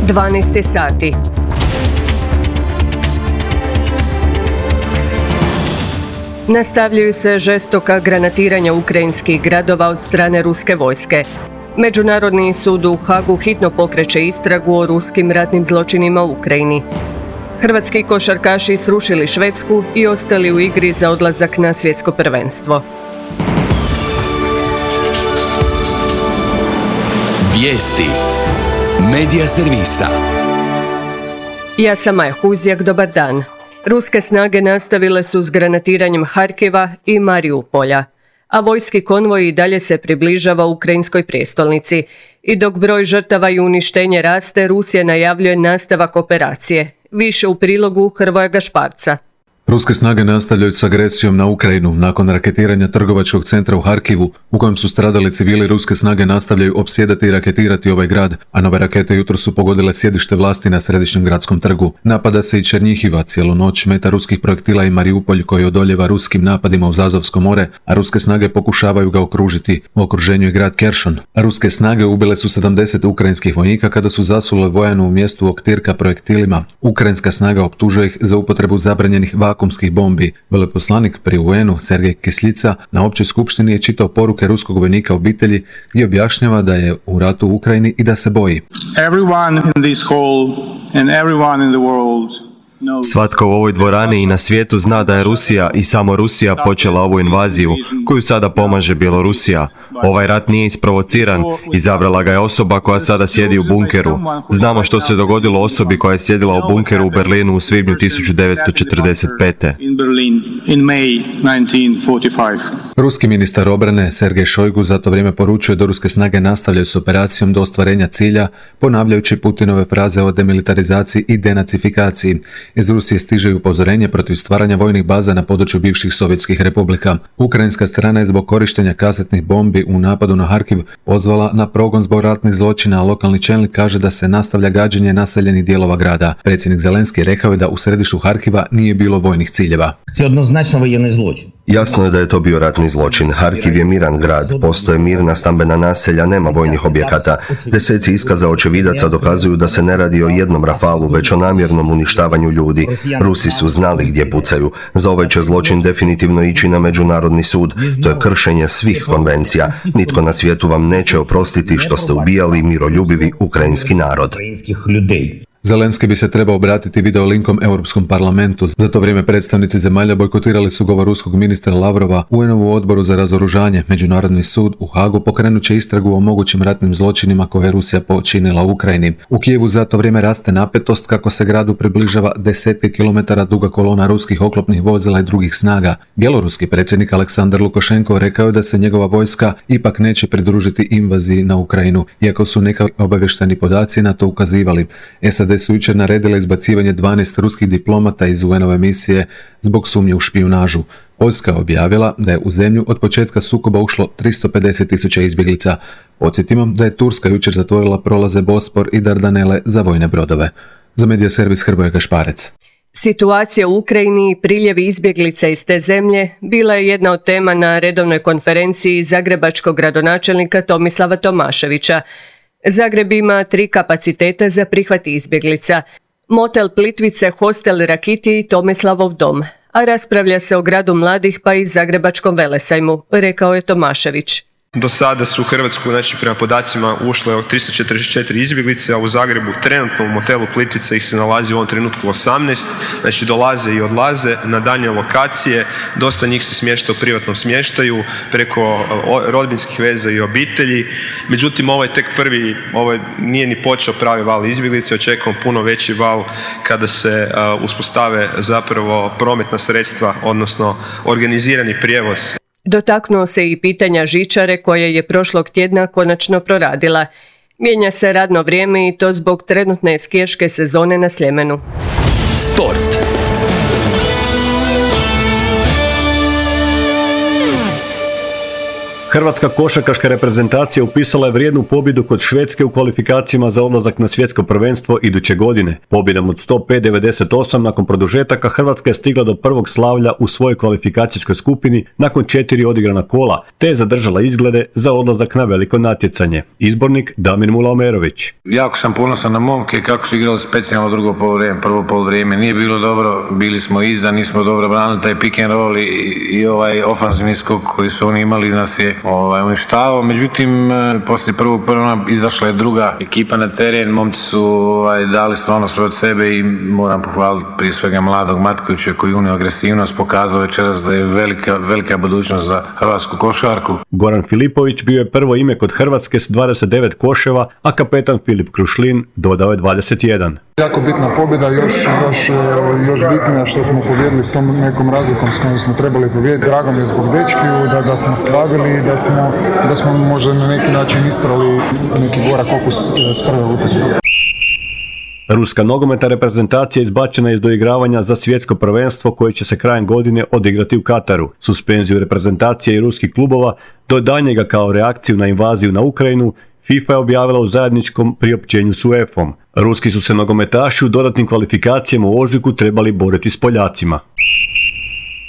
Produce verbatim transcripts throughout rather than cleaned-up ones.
dvanaest sati. Nastavljaju se žestoka granatiranja ukrajinskih gradova od strane ruske vojske. Međunarodni sud u Hagu hitno pokreće istragu o ruskim ratnim zločinima u Ukrajini. Hrvatski košarkaši srušili Švedsku i ostali u igri za odlazak na svjetsko prvenstvo. Vijesti Medija servisa. Ja sam Maja Huzjak, dobar dan. Ruske snage nastavile su s granatiranjem Harkiva i Mariupolja, a vojski konvoj i dalje se približava ukrajinskoj prijestolnici. I dok broj žrtava i uništenje raste, Rusija najavljuje nastavak operacije. Više u prilogu Hrvoja Gašparca. Ruske snage nastavljaju s agresijom na Ukrajinu. Nakon raketiranja trgovačkog centra u Harkivu, u kojem su stradali civili, ruske snage nastavljaju opsjedati i raketirati ovaj grad, a nove rakete jutro su pogodile sjedište vlasti na središnjem gradskom trgu. Napada se i Černjihiva, cijelu noć meta ruskih projektila i Mariupolj koji odoljeva ruskim napadima uz Azovsko more, a ruske snage pokušavaju ga okružiti. U okruženju je grad Keršon. A ruske snage ubile su sedamdeset ukrajinskih vojnika kada su zasule vojanu u mjestu Oktirka projektilima. Ukrajinska snaga optužuje ih za upotrebu zabranjenih vakuumskih bombi. Veleposlanik pri U N-u Sergej Kisljica na općoj skupštini je čitao poruke ruskog vojnika obitelji i objašnjava da je u ratu u Ukrajini i da se boji. Everyone in this hall and everyone in the world. Svatko u ovoj dvorani i na svijetu zna da je Rusija i samo Rusija počela ovu invaziju, koju sada pomaže Bjelorusija. Ovaj rat nije isprovociran, izabrala ga je osoba koja sada sjedi u bunkeru. Znamo što se dogodilo osobi koja je sjedila u bunkeru u Berlinu u svibnju tisuću devetsto četrdeset pete. Ruski ministar obrane Sergej Šojgu za to vrijeme poručuje da ruske snage nastavljaju s operacijom do ostvarenja cilja, ponavljajući Putinove fraze o demilitarizaciji i denacifikaciji. Iz Rusije stiže upozorenje protiv stvaranja vojnih baza na području bivših sovjetskih republika. Ukrajinska strana je zbog korištenja kasetnih bombi u napadu na Harkiv pozvala na progon zbog ratnih zločina, a lokalni čelnik kaže da se nastavlja gađanje naseljenih dijelova grada. Predsjednik Zelenski rekao je da u središtu Harkiva nije bilo vojnih ciljeva. Jasno je da je to bio ratni zločin. Harkiv je miran grad, postoje mirna stambena naselja, nema vojnih objekata. Deseci iskaza očevidaca dokazuju da se ne radi o jednom rafalu, već o namjernom uništavanju ljudi. Rusi su znali gdje pucaju. Za ovaj će zločin definitivno ići na međunarodni sud. To je kršenje svih konvencija. Nitko na svijetu vam neće oprostiti što ste ubijali miroljubivi ukrajinski narod. Zelenski bi se trebao obratiti videolinkom Europskom parlamentu. Za to vrijeme predstavnici zemalja bojkotirali su govor ruskog ministra Lavrova u U N-ovu odboru za razoružanje. Međunarodni sud u Hagu pokrenut će istragu o mogućim ratnim zločinima koje je Rusija počinila u Ukrajini. U Kijevu za to vrijeme raste napetost kako se gradu približava desetke kilometara duga kolona ruskih oklopnih vozila i drugih snaga. Bjeloruski predsjednik Aleksandar Lukašenko rekao je da se njegova vojska ipak neće pridružiti invaziji na Ukrajinu, iako su neka obavješteni podaci na to ukazivali. S A D su jučer naredile izbacivanje dvanaest ruskih diplomata iz U N-ove misije zbog sumnje u špijunažu. Poljska je objavila da je u zemlju od početka sukoba ušlo tristo pedeset tisuća izbjeglica. Podsjetimo da je Turska jučer zatvorila prolaze Bospor i Dardanele za vojne brodove. Za medija servis Hrvoje Gašparec. Situacija u Ukrajini i priljevi izbjeglica iz te zemlje bila je jedna od tema na redovnoj konferenciji zagrebačkog gradonačelnika Tomislava Tomaševića. Zagreb ima tri kapaciteta za prihvat izbjeglica. Motel Plitvice, hostel Rakiti i Tomislavov dom. A raspravlja se o gradu mladih pa i Zagrebačkom velesajmu, rekao je Tomašević. Do sada su u Hrvatsku, znači prema podacima, ušle tristo četrdeset četiri izbjeglice, a u Zagrebu trenutno u motelu Plitvice ih se nalazi u ovom trenutku osamnaest, znači dolaze i odlaze na daljnje lokacije, dosta njih se smješta u privatnom smještaju, preko rodbinskih veza i obitelji. Međutim, ovo je tek prvi, ovo nije ni počeo pravi val izbjeglice, očekujemo puno veći val kada se uh, uspostave zapravo prometna sredstva, odnosno organizirani prijevoz. Dotaknuo se i pitanja žičare koje je prošlog tjedna konačno proradila. Mijenja se radno vrijeme i to zbog trenutne skijaške sezone na Sljemenu. Sport. Hrvatska košarkaška reprezentacija upisala je vrijednu pobjedu kod Švedske u kvalifikacijama za odlazak na svjetsko prvenstvo iduće godine. Pobjedom od sto pet devedeset osam nakon produžetaka Hrvatska je stigla do prvog slavlja u svojoj kvalifikacijskoj skupini nakon četiri odigrana kola, te je zadržala izglede za odlazak na veliko natjecanje. Izbornik Damir Mulaomerović. Jako sam ponosan na momke kako su igrali specijalno drugo poluvreme. Prvo poluvreme nije bilo dobro, bili smo iza, nismo dobro branili taj pick and roll i, i ovaj ofanzivni skok koji su oni imali nas je ovaj, uništavao. Međutim, poslije prvog prva izašla je druga ekipa na teren, momci su ovaj, dali stvarno sve od sebe i moram pohvaliti prije svega mladog Matkovića koji unio agresivnost, pokazao večeras da je velika, velika budućnost za hrvatsku košarku. Goran Filipović bio je prvo ime kod Hrvatske s dvadeset devet koševa, a kapetan Filip Krušlin dodao je dvadeset jedan. Jako bitna pobjeda, još, još, još bitnija što smo pobjedili s tom nekom razlikom s kojom smo trebali pobijediti. Drago mi je zbog dečkiju da, da smo slavili i da smo, da smo možda na neki način isprali neki gorak okus s prve utakmice. Ruska nogometna reprezentacija izbačena je iz doigravanja za svjetsko prvenstvo koje će se krajem godine odigrati u Kataru. Suspenziju reprezentacije i ruskih klubova do daljnjega kao reakciju na invaziju na Ukrajinu FIFA je objavila u zajedničkom priopćenju s UEFA-om. Ruski su se nogometaši u dodatnim kvalifikacijama u ožujku trebali boriti s Poljacima.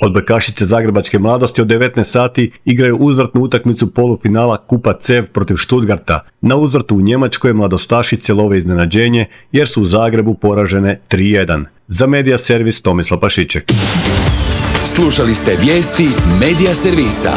Odbojkašice zagrebačke mladosti od devetnaest sati igraju uzvratnu utakmicu polufinala Kupa CEV protiv Stuttgarta. Na uzvratu u Njemačkoj mladostašice love iznenađenje jer su u Zagrebu poražene tri jedan. Za Medija servis Tomislav Pašiček. Slušali ste vijesti Medija servisa.